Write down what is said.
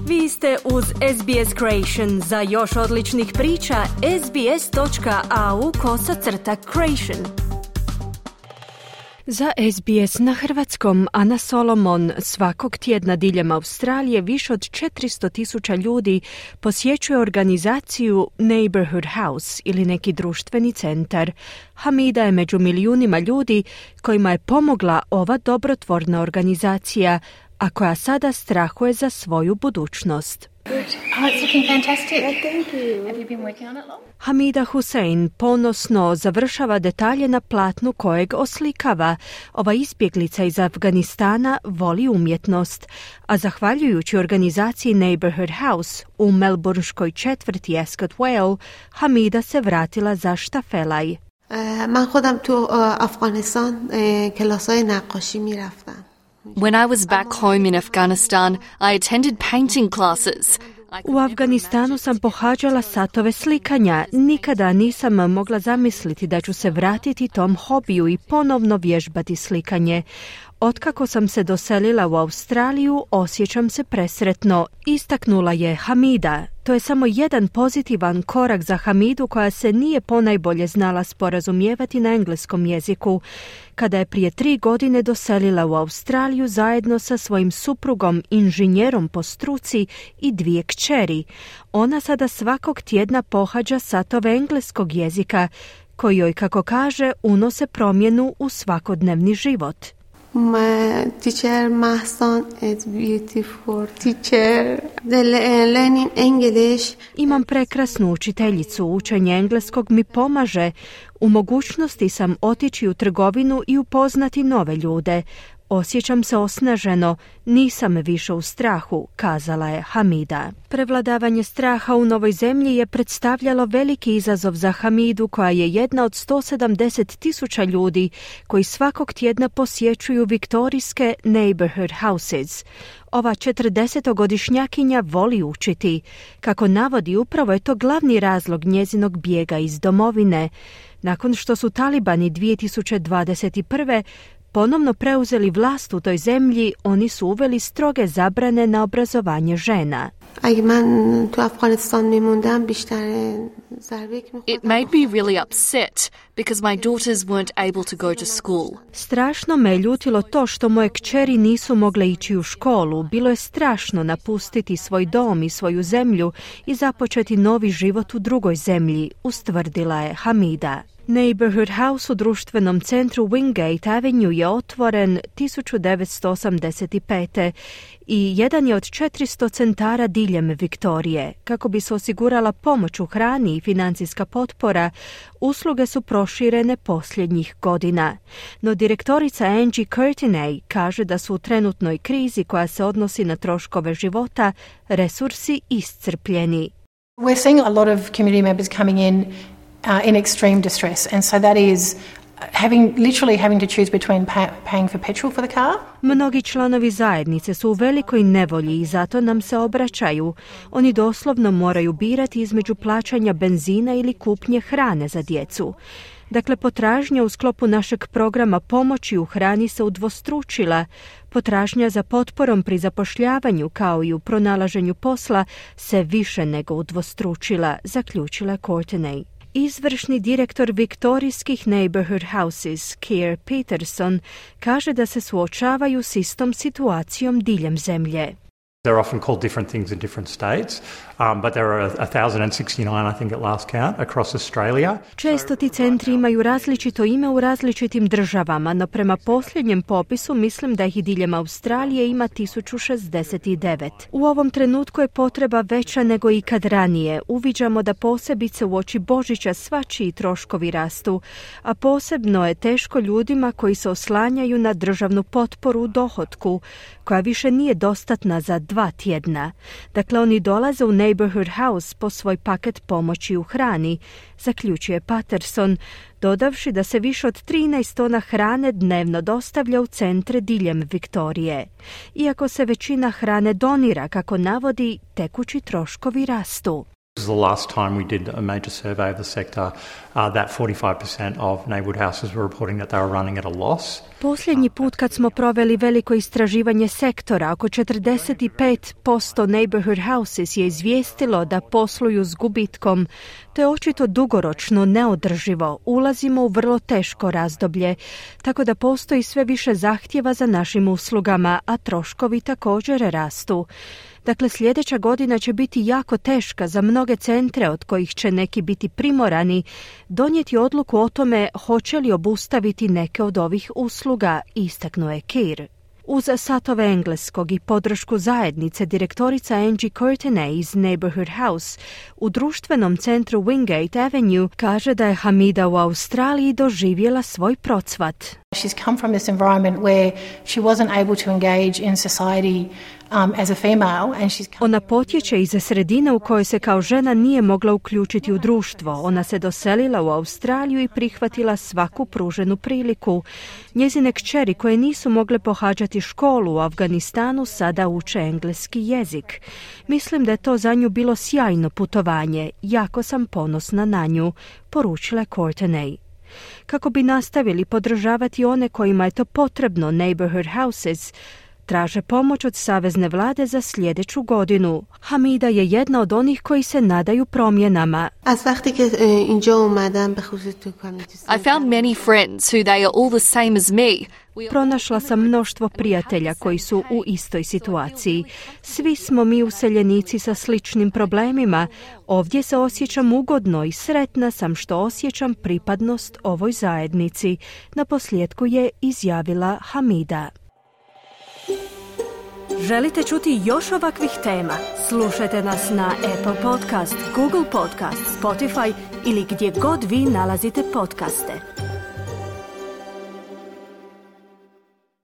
Vi ste uz SBS Creation. Za još odličnih priča, sbs.au/creation. Za SBS na hrvatskom Ana Solomon. Svakog tjedna diljem Australije više od 400,000 ljudi posjećuje organizaciju Neighborhood House ili neki društveni centar. Hamida je među milijunima ljudi kojima je pomogla ova dobrotvorna organizacija, a koja sada strahuje za svoju budućnost. Hamida Hussein ponosno završava detalje na platnu kojeg oslikava. Ova izbjeglica iz Afganistana voli umjetnost, a zahvaljujući organizaciji Neighborhood House u melbourneškoj četvrti Ascot Vale, Hamida se vratila za štafelaj. Man khodam tu Afghanistan klasay naqashi miraftam. When I was back home in Afghanistan, I attended painting classes. U Afganistanu sam pohađala satove slikanja. Nikada nisam mogla zamisliti da ću se vratiti tom hobiju i ponovno vježbati slikanje. Otkako sam se doselila u Australiju, osjećam se presretno, istaknula je Hamida. To je samo jedan pozitivan korak za Hamidu, koja se nije ponajbolje znala sporazumijevati na engleskom jeziku. Kada je prije 3 godine doselila u Australiju zajedno sa svojim suprugom, inženjerom po struci i 2 kćeri. Ona sada svakog tjedna pohađa satove engleskog jezika, koji joj, kako kaže, unose promjenu u svakodnevni život. My teacher Mahsan is beautiful teacher. The learning English. Imam prekrasnu učiteljicu. Učenje engleskog mi pomaže. U mogućnosti sam otići u trgovinu i upoznati nove ljude. Osjećam se osnaženo, nisam više u strahu, kazala je Hamida. Prevladavanje straha u novoj zemlji je predstavljalo veliki izazov za Hamidu, koja je jedna od 170,000 ljudi koji svakog tjedna posjećuju viktorijske Neighborhood Houses. Ova 40-godišnjakinja voli učiti. Kako navodi, upravo je to glavni razlog njezinog bijega iz domovine. Nakon što su talibani 2021. ponovno preuzeli vlast u toj zemlji, oni su uveli stroge zabrane na obrazovanje žena. It made me really upset because my daughters weren't able to go to school. Strašno me je ljutilo to što moje kćeri nisu mogle ići u školu. Bilo je strašno napustiti svoj dom i svoju zemlju i započeti novi život u drugoj zemlji, ustvrdila je Hamida. Neighborhood House u društvenom centru Wingate Avenue je otvoren 1985. i jedan je od 400 centara diljem Viktorije. Kako bi se osigurala pomoć u hrani i financijska potpora, usluge su proširene posljednjih godina. No direktorica Angie Curtinay kaže da su u trenutnoj krizi koja se odnosi na troškove života resursi iscrpljeni. We're seeing a lot of community members coming in extreme distress, and so that is literally having to choose between paying for petrol for the car. Mnogi članovi zajednice su u velikoj nevolji i zato nam se obraćaju. Oni doslovno moraju birati između plaćanja benzina ili kupnje hrane za djecu. Dakle, potražnja u sklopu našeg programa pomoći u hrani se udvostručila. Potražnja za potporom pri zapošljavanju kao i u pronalaženju posla se više nego udvostručila, zaključila Courtenay. Izvršni direktor viktorijskih Neighborhood Houses, Keir Peterson, kaže da se suočavaju s istom situacijom diljem zemlje. They're often called different things in different states, but there are 1,069, I think at last count, across Australia. Često ti centri imaju različito ime u različitim državama, no prema posljednjem popisu mislim da ih diljem Australije ima 1069. U ovom trenutku je potreba veća nego ikad ranije. Uviđamo da posebice uoči Božića svačiji troškovi rastu, a posebno je teško ljudima koji se oslanjaju na državnu potporu u dohotku, koja više nije dostatna za 2 tjedna. Dakle, oni dolaze u Neighborhood House po svoj paket pomoći u hrani, zaključuje Patterson, dodavši da se više od 13 tona hrane dnevno dostavlja u centre diljem Viktorije. Iako se većina hrane donira, kako navodi, tekući troškovi rastu. This is the last time we did a major survey of the sector, that 45% of neighbourhood houses were reporting that they were running at a loss. Posljednji put kad smo proveli veliko istraživanje sektora, oko 45% neighborhood houses je izvijestilo da posluju s gubitkom. To je očito dugoročno neodrživo. Ulazimo u vrlo teško razdoblje, tako da postoji sve više zahtjeva za našim uslugama, a troškovi također rastu. Dakle, sljedeća godina će biti jako teška za mnoge centre, od kojih će neki biti primorani donijeti odluku o tome hoće li obustaviti neke od ovih usluga, istaknuo je Keir. Uz satove engleskog i podršku zajednice, direktorica Angie Courtenay iz Neighbourhood House u društvenom centru Wingate Avenue kaže da je Hamida u Australiji doživjela svoj procvat. She's come from this environment where she wasn't able to engage in society as a female, and Ona potječe iz sredine u kojoj se kao žena nije mogla uključiti u društvo. Ona se doselila u Australiju i prihvatila svaku pruženu priliku. Njezine kćeri koje nisu mogle pohađati školu u Afganistanu sada uče engleski jezik. Mislim da je to za nju bilo sjajno putovanje. Jako sam ponosna na nju, poručila Courtenay. Kako bi nastavili podržavati one kojima je to potrebno, Neighbourhood Houses traže pomoć od savezne vlade za sljedeću godinu. Hamida je jedna od onih koji se nadaju promjenama. I found many friends who they are all the same as me. Pronašla sam mnoštvo prijatelja koji su u istoj situaciji. Svi smo mi useljenici sa sličnim problemima. Ovdje se osjećam ugodno i sretna sam što osjećam pripadnost ovoj zajednici. Naposljetku je izjavila Hamida. Želite čuti još ovakvih tema? Slušajte nas na Apple Podcast, Google Podcast, Spotify ili gdje god vi nalazite podcaste.